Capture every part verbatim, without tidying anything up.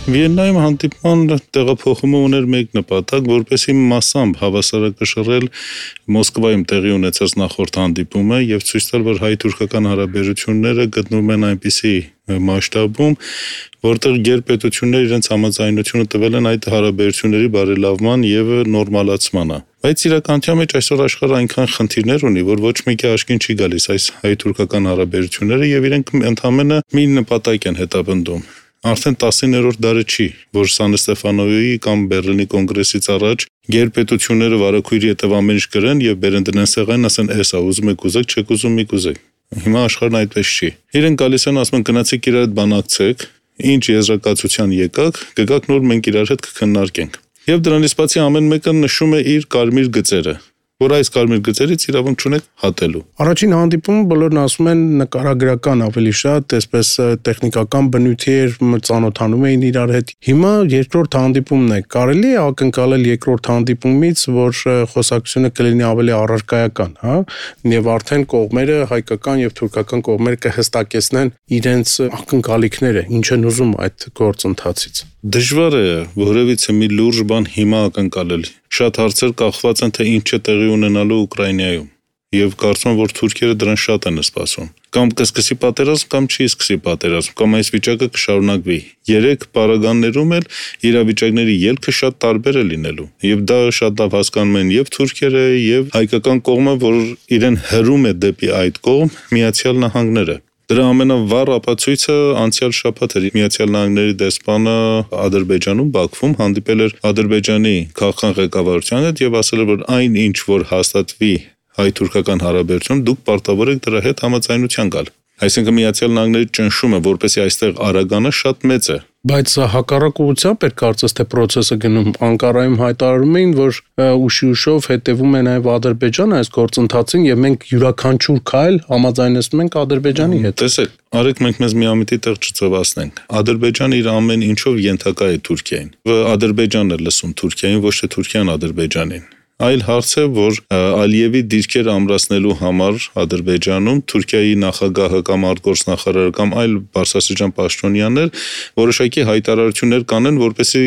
Վիեննայում հանդիպման տեղափոխումը ուներ մեկ նպատակ, որպեսզի մասամբ հավասարակշռել Մոսկվայում տեղի ունեցած նախորդ հանդիպումը եւ ցույց տալ, որ հայ-թուրքական հարաբերությունները գտնվում են այնպիսի մասշտաբում, որտեղ գերպետությունները իրենց համաձայնությունը տվել են այդ հարաբերությունների բարելավման եւ նորմալացմանը։ Բայց իրականության մեջ այսօր աշխարհը այնքան խնդիրներ ունի, որ ոչ մեկի աչքին չի գալիս այս հայ-թուրքական հարաբերությունները եւ իրենք ընդհանրապես մի նպատակ են հետապնդում։ Արդեն տասներորդ դարը չի, որ Սան Ստեֆանոյի կամ Բեռլինի կոնգրեսից առաջ գերպետությունները վարակույրի հետև ամեն ինչ գրեն եւ բերեն դնեն սեղանին, ասեն էսա ուզում եք ուզեք, չեք ուզում մի կուզեք։ Հիմա աշխարհն այդպես չի։ Իրենք գալիս են ասում են գնացեք իրար հետ բանակցեք, ինչ եզրակացության եկաք, կգաք նոր մենք իրար հետ կքննարկենք։ Եվ դրանից բացի ամեն մեկը նշում է իր կարմիր գծերը, որ այս կարմիր գծերից իրավունք չունեք հատելու։ Առաջին հանդիպումը բոլորն ասում են նկարագրական ավելի շատ, այսպես տեխնիկական բնույթի էր, ծանոթանում էին իրար հետ։ Հիմա երկրորդ հանդիպումն է։ Կարելի է ակնկալել երկրորդ հանդիպումից, որ խոսակցությունը կլինի ավելի առարկայական, հա, եւ արդեն կողմերը, հայկական եւ թուրքական կողմերը կհստակեցնեն իրենց ակնկալիքները, ինչ են ուզում այդ գործընթացից։ Դժվար է որևիցե մի լուրջ բան հիմա ակնկալել։ Շատ հարցեր կախված են, թե ինչ է տեղի ունենալու Ուկրաինայում։ Եվ կարծում եմ, որ թուրքերը դրան շատ են սպասում։ Կամ կսկսի պատերազմ, կամ չի սկսի պատերազմ, կամ այս վիճակը կշարունակվի։ Երեք պարագաներում էլ իրավիճակների ելքը շատ տարբեր է լինելու։ Եվ դա շատ լավ հասկանում են եւ թուրքերը, եւ հայկական կողմը, որ իրեն հրում է դեպի այդ կողմ, Միացյալ Նահանգները։ Դրա ամենավառ ապացույցը անցյալ շաբաթ էր Միացյալ Նահանգների դեսպանը Ադրբեջանում Բաքվում հանդիպել էր Ադրբեջանի քաղաքական ղեկավարության հետ եւ ասել էր, որ այն ինչ որ հաստատվի հայ-թուրքական հարաբերությունում դուք պարտավոր եք դրա հետ համաձայնության գալ։ Այսինքն Միացյալ Նահանգների ճնշումը, որպեսզի այստեղ արագանա, շատ մեծ է։ Բայց հակառակ ուղղությամբ էր կարծես թե process-ը գնում։ Անկարայում հայտարարում էին, որ ուշի ուշով հետևում է նաև Ադրբեջանը այս գործընթացին եւ մենք յուրաքանչյուր քայլ համաձայնեցնում ենք Ադրբեջանի հետ։ Տեսեք, արեք մենք մեզ միամիտի տեղ չծովացնենք։ Ադրբեջանը իր ամեն ինչով ենթակա է Թուրքիային։ Ադրբեջանն է լսում Թուրքիային, ոչ թե Թուրքիան Ադրբեջանին։ Այլ հարց է, որ Ալիևի դիրքերը ամրացնելու համար Ադրբեջանում Թուրքիայի նախագահը կամ արտգործնախարարը կամ այլ բարձրաստիճան պաշտոնյաներ որոշակի հայտարարություններ կանեն, որպեսզի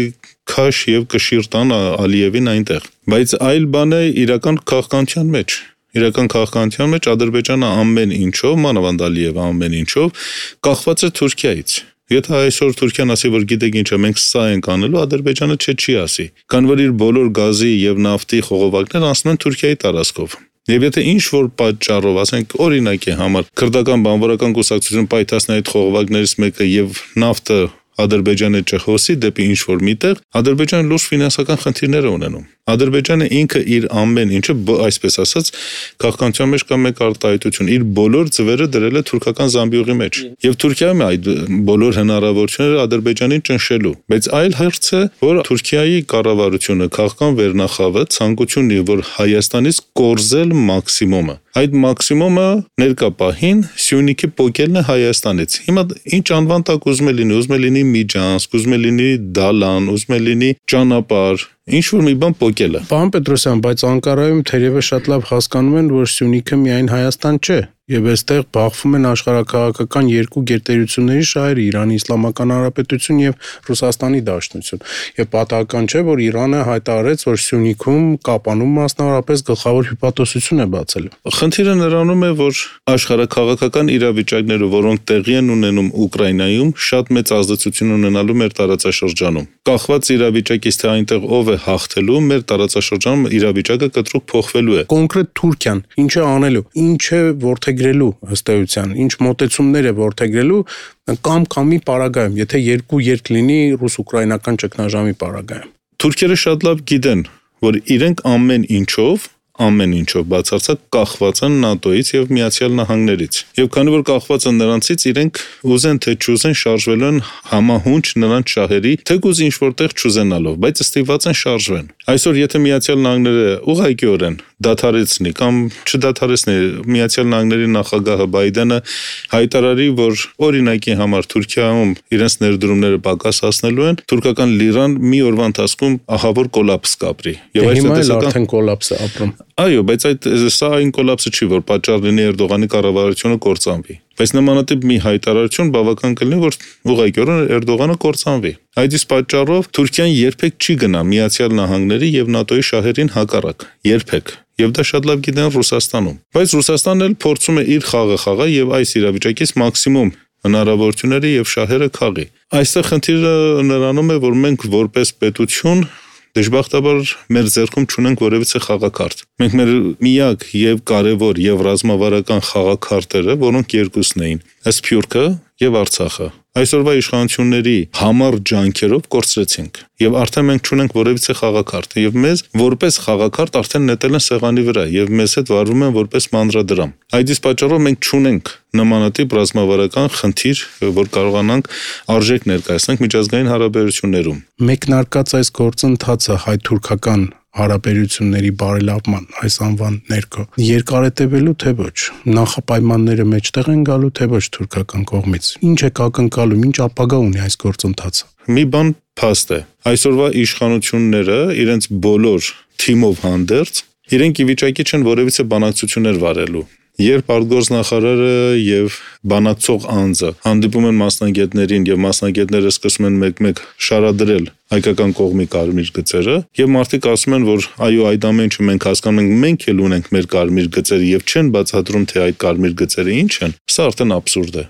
քաշ եւ կշիռ տան Ալիևին այնտեղ։ Բայց այլ բան է իրական քաղաքականության մեջ։ Իրական քաղաքականության մեջ Ադրբեջանը ամեն ինչով, մանավանդ Ալիևը ամեն ինչով կախված է Թուրքիայից։ Եթե այսօր Թուրքիան ասի, որ գիտեք ինչ է, մենք սա ենք անելու, Ադրբեջանը չէ չի ասի։ Քան որ իր բոլոր գազի եւ նավթի խողովակները անցնում են Թուրքիայի տարածքով։ Եվ եթե ինչ որ պատճառով, ասենք օրինակի համար, քրդական բանվորական կուսակցությունը պայթացնի այդ խողովակներից մեկը եւ նավթը Ադրբեջանը չխոսի դեպի ինչ որ միտեղ, Ադրբեջանը լուրջ ֆինանսական խնդիրներ է ունենում։ Ադրբեջանը ինքը իր ամեն ինչը, այսպես ասած, քաղաքականության մեջ կա մեկ արտահայտություն, իր բոլոր ձվերը դրել է թուրքական զամբյուղի մեջ։ Եվ Թուրքիայում այդ բոլոր հնարավորությունները Ադրբեջանին ճնշելու։ Բայց այլ հարց է, որ Թուրքիայի կառավարությունը քաղաքական վերնախավը ցանկություն ունի, որ Հայաստանից կորզել մաքսիմումը։ Այդ մաքսիմումը ներկա պահին Սյունիքի պոկելն է Հայաստանից։ Հիմա ինչ անվան տակ ուզում է լինի, ուզում է լինի Միջանցք, ուզում է լինի Դալան, ուզում է լինի ճանապարհ, ինչ որ մի բան պոկելը։ Պարոն Պետրոսյան, բայց Անկարայում թերևս շատ լավ հասկանում են, որ Սյունիքը միայն Հայաստան չէ։ Եվ այստեղ բախվում են աշխարհակաղակական երկու գերտերությունների շահերը՝ Իրանի Իսլամական Հանրապետություն եւ Ռուսաստանի Դաշնություն։ Եվ պատահական չէ, որ Իրանը հայտարարեց, որ Սյունիքում Կապանում մասնավորապես գլխավոր հյուպատոսություն է բացել։ Խնդիրը նրանում է, որ աշխարհակաղակական իրավիճակները, որոնք տեղի են ունենում Ուկրաինայում, շատ մեծ ազդեցություն ունենալու մեր տարածաշրջանում։ Կախված իրավիճակից, թե այնտեղ ով է հաղթելու, մեր տարածաշրջանում իրավիճակը կտրուկ փոխվելու է։ Կոնկրետ Թուրքիան ինչ է անելու, ինչ է որդեգրելու ըստ էության, ինչ մոտեցումներ է որդեգրելու կամ կամի պարագայում, եթե երկու երկ լինի ռուս-ուկրաինական ճգնաժամի պարագայում։ Թուրքերը շատ լավ գիտեն, որ իրենք ամեն ինչով ամեն ինչով բացարձակ կախված են ՆԱՏՕ-ից եւ Միացյալ Նահանգներից։ Եվ քանի որ կախված են նրանցից, իրենք ուզեն թե չուզեն շարժվել են համահունչ նրանց շահերի, թեկուզ ինչ որտեղ չուզենալով, բայց ստիպված են շարժվեն։ Այսօր եթե Միացյալ Նահանգները ուղղակիորեն դադարեցնի կամ չդադարեցնի, Միացյալ Նահանգների նախագահը Բայդենը հայտարարի, որ օրինակի համար Թուրքիայում իրենց ներդրումները պակասացնելու են, թուրքական լիրան մի օրվա ընթացքում ահավոր կոլապս կապրի։ Եվ այս արդեն կոլապս է ապրում։ Այո, բայց այդ սա այն կոլապսը չի, որ պատճառ լինի Էրդողանի կառավարությունը կործանվի։ Բայց նմանատիպ մի հայտարարություն բավական կլինի, որ ուղղակիորեն Էրդողանը կործանվի։ Այդ իսկ պատճառով Թուրքիան երբեք չի գնա Միացյալ Նահանգների եւ ՆԱՏՕ-ի շահերին հակառակ։ Երբեք։ Եվ դա շատ լավ գիտեն Ռուսաստանում։ Բայց Ռուսաստանն էլ փորձում է իր խաղը խաղալ եւ այս իրավիճակից մաքսիմում հնարավորությունները եւ շահերը քաղի։ Այստեղ խնդիրը նրանում է, որ մենք որպես պետություն դժբախտաբար մեր ձեռքում չունենք որևիցե խաղակարդ։ Մենք մեր միակ եւ կարեւոր եւ ռազմավարական խաղակարտերը, որոնք երկուսն էին՝ Սփյուռքը եւ Արցախը, այսօրվա իշխանությունների համառ ջանքերով կորցրեցինք եւ արդեն մենք չունենք որևիցե խաղակարդ եւ մեզ որպես խաղակարդ արդեն նետել են սեղանի վրա եւ մեզ հետ վարվում են որպես մանրադրամ։ Այդ իսկ պատճառով մենք չունենք նմանատիպ ռազմավարական խնդիր, որ կարողանանք արժեք ներկայացնենք միջազգային հարաբերություններում։ Մեկնարկած այս գործընթացը հայ-թուրքական հարաբերությունների բարելավման այս անվան ներքո երկար է տևելու թե ոչ, նախապայմանները մեջտեղ են գալու թե ոչ թուրքական կողմից, ինչ է ակնկալում, ինչ ապագա ունի այս գործընթացը։ Մի բան փաստ է, այսօրվա իշխանությունները իրենց բոլոր թիմով հանդերձ իրենք ի վիճակի չեն որևիցե բանակցություններ վարելու։ Երբ արտգործնախարարը եւ բանակցող անձը հանդիպում են մասնագետներին եւ մասնագետները սկսում են մեկ-մեկ շարադրել հայկական կողմի կարմիր գծերը եւ մարդիկ ասում են, որ այո, այդ ամեն ինչը մենք հասկանում ենք, մենք էլ ունենք մեր կարմիր գծերը եւ չեն բացատրում, թե այդ կարմիր գծերը ինչ են, սա արդեն աբսուրդ է։